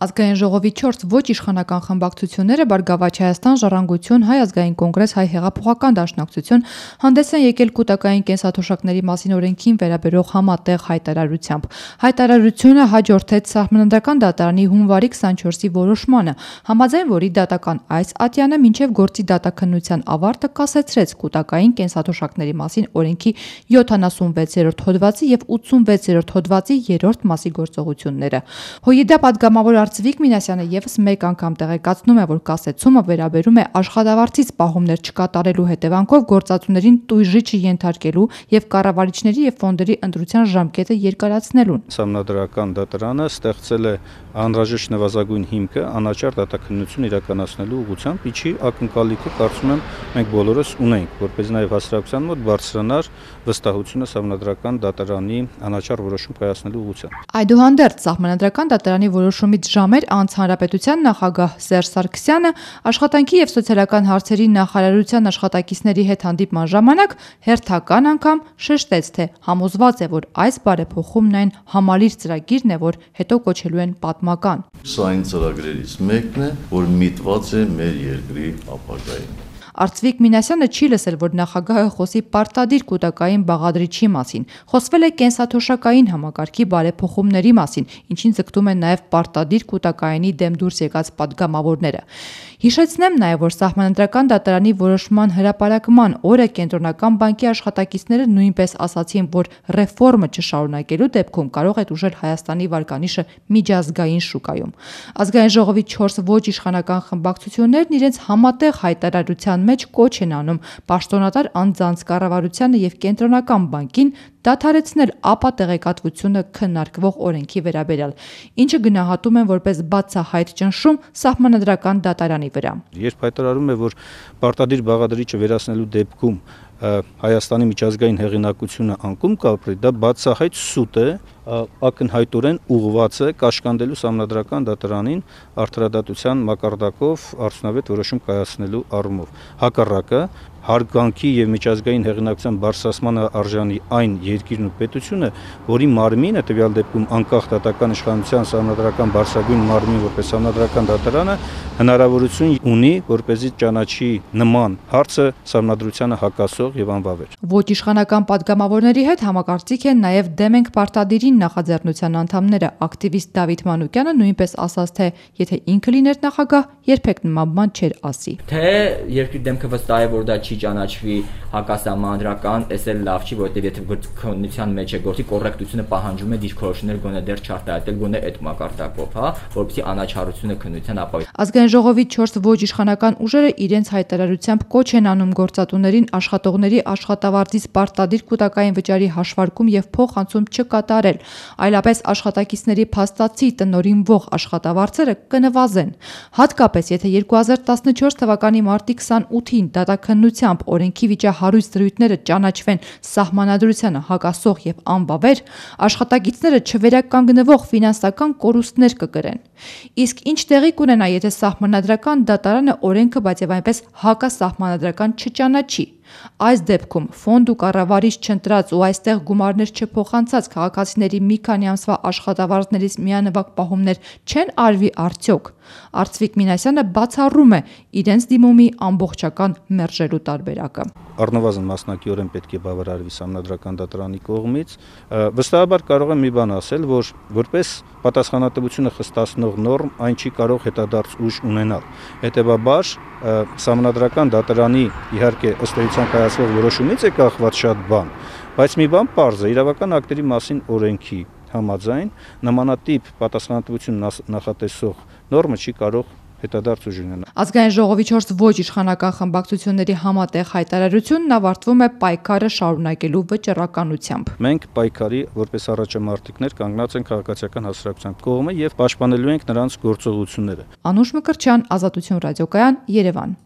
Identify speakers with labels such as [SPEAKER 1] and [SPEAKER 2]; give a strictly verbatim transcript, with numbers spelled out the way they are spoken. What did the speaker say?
[SPEAKER 1] Ազգային ժողովի չորս ոչ իշխանական խմբակցությունները Բարգավաճ Հայաստան, Ժառանգություն, Հայ ազգային կոնգրես, Հայ հեղափոխական դաշնակցություն հանդես են եկել կൂտակային կենսաթոշակների մասին օրենքին վերաբերող համատեղ հայտարարությամբ։ Հայտարարությունը հաջորդեց Սահմանադրական դատարանի հունվարի քսանչորսի որոշմանը, համաձայն որի դատական այս ատյանը մինչև գործի դատաքննության ավարտը կասեցրեց կൂտակային կենսաթոշակների մասին օրենքի յոթանասունվեցերորդ հոդվածի և ութսունվեցերորդ հոդվածի երրորդ մասի գործողությունները։ ՀՅԴ պատգամավոր Արծվիկ Մինասյանը ևս մեկ անգամ տեղեկացնում է, որ կասեցումը վերաբերում է աշխատավարձից պահումներ չկատարելու հետևանքով գործածուներին տույժի չենթարկելու և կառավարիչների և ֆոնդերի ընտրության ժամկետը երկարացնելուն։
[SPEAKER 2] Սահմանադրական դատարանը ստեղծել է անհրաժեշտ նվազագույն հիմքը անաչառ դատաքննություն իրականացնելու ուղղությամբ, ինչի ակնկալիքը կարծում եմ մենք բոլորս ունենք, որպեսզի նաև հասարակության մոտ բարձրանար վստահությունը Սահմանադրական դատարանի անաչառ որոշում կայացնելու ուղղությամբ։
[SPEAKER 1] Այդուհանդերձ Սահմանադրական դատարանի որոշումից ժամեր անց Հանրապետության նախագահ Սերժ Սարգսյանը աշխատանքի և սոցիալական հարցերի նախարարության աշխատակիցների հետ հանդիպման ժամանակ հերթական անգամ շեշտեց, թե համոզված է, որ այս բարեփոխումն այն համալիր ծրագիրն է, որ հետո կոչելու են պատմական։
[SPEAKER 3] Սա այն ծրագրերից մեկն է, որ միտված է մեր երկրի ապագային։
[SPEAKER 1] Արծվիկ Մինասյանը չի լսել, որ նախագահը խոսի պարտադիր կൂտակային բաղադրիչի մասին, խոսվել է կենսաթոշակային համակարգի բարեփոխումների մասին, ինչին ձգտում են նաև պարտադիր կൂտակայինի դեմ դուրս եկած պատգամավորները։ Հիշեցնեմ նաև, որ Սահմանադրական դատարանի որոշման հրապարակման օրը Կենտրոնական բանկի աշխատակիցները նույնպես ասացին, որ ռեֆորմը չշարունակելու դեպքում կարող է տուժել Հայաստանի վարկանիշը միջազգային շուկայում։ Ազգային ժողովի չորս ոչ իշխանական խմբակցություններն իրենց համատեղ հայտարարության մեջ կոչ են անում պաշտոնատար անձանց կառավարությանը և Կենտրոնական բանկին դադարեցնել ապա տեղեկատվությունը քննարկվող օրենքի վերաբերյալ, ինչը գնահատում են որպես բացահայտ ճնշում Սահմանադրական դատարանի վրա։
[SPEAKER 2] Երբ հայտարարում է, որ պարտադիր բաղադրիչը վերացնելու դեպքում Հայաստանի միջազգային հեղինակությունը անկում կապրի, դա բացահայտ սուտ է, ակնհայտորեն ուղղված է կաշկանդելու Սահմանադրական դատարանին արդարադատության մակարդակով արդյունավետ որոշում կայացնելու առումով։ Հակառակը, հարգանքի և միջազգային հեղինակության բարձրացմանը արժանի այն երկիրն ու պետությունը, որի մարմինը տվյալ դեպքում անկախ դատական իշխանության Սահմանադրական բարձրագույն մարմին որպես Սահմանադրական դատարանը հնարավորություն ունի, որպեսզի ճանաչի նման հարցը սահմանադրությանը հակասող և անվավեր։
[SPEAKER 1] Ոչ իշխանական պատգամավորների հետ համակարծիք են նաև դեմ ենք պարտադիրին նախաձեռնության անդամները։ Ակտիվիստ Դավիթ Մանուկյանը նույնպես ասաց, թե եթե ինքը լիներ նախագահ, երբեք նման բան չէր ասի։
[SPEAKER 4] Թե երկրի դեմքը վստահ է, որ դա չի ճանաչվի հակասահմանադրական, էս էլ լավ չի, որովհետև եթե քննության մեջ է գործի կոռեկտությունը պահանջում է դիրքորոշումներ գոնե դեռ չարտահայտել, գոնե այդ մակարդակով, հա, որովհետեւ անաչառությունը քննության ապահովի։
[SPEAKER 1] Ազգային ժողովի չորս ոչ իշխանական ուժերը իրենց հայտարարությամբ կոչ են անում գործատուներին աշխատողների աշխատավարձից պարտադիր կൂտակային վճարի հաշվարկում և փոխանցում չկատարել, այլապես աշխատակիցների փաստացի տնօրինվող աշխատավարձերը կնվազեն։ Հատկապես եթե երկու հազար տասնչորս թվականի մարտի քսանութին դատաքննությամբ օրենքի վիճահարույց դրույթները ճանաչվեն սահմանադրությանը հակասող և անվավեր, աշխատակիցները չվերականգնվող ֆինանսական կորուստներ կկրեն։ Իսկ ինչ տեղի կունենա, եթե Սահմանադրական դատարանը օրենքը, բայց և այնպես հակասահմանադրական չճանաչի։ Այս դեպքում ֆոնդ ու կառավարիչ չընտրած ու այստեղ գումարներ չփոխանցած քաղաքացիների մի քանի ամսվա աշխատավարձներից միանվագ պահումներ չեն արվի արդյոք։ Արծվիկ Մինասյանը բացառում է իրենց դիմումի ամբողջական մերժելու տարբերակը։
[SPEAKER 2] Առնվազն մասնակիորեն պետք է բավարարվի Սահմանադրական դատարանի կողմից։ Վստահաբար կարող եմ մի բան ասել, որ որպես պատասխանատվությունը խստացնող նորմ այն չի կարող հետադարձ ուժ ունենալ։ Հետևաբար Սահմանադրական դատարանի իհարկե ըստ էության կայացվող որոշումից է կախված շատ բան, բայց մի բան պարզ է, իրավական ակտերի մասին օրենքի համաձայն նմանատիպ պատասխանատվություն նախատեսող նորմը չի կարող հետադարձ ուժ ունենալ։
[SPEAKER 1] Ազգային ժողովի չորս ոչ իշխանական խմբակցությունների համատեղ հայտարարությունն ավարտվում է պայքարը շարունակելու վճռականությամբ։
[SPEAKER 2] Մենք պայքարի որպես առաջամարտիկներ կանգնած ենք քաղաքացիական հասարակության կողմը և պաշտպանելու ենք նրանց գործողությունները։
[SPEAKER 1] Անուշ Մկրտչյան, Ազատություն ռադիոկայան, Երևան։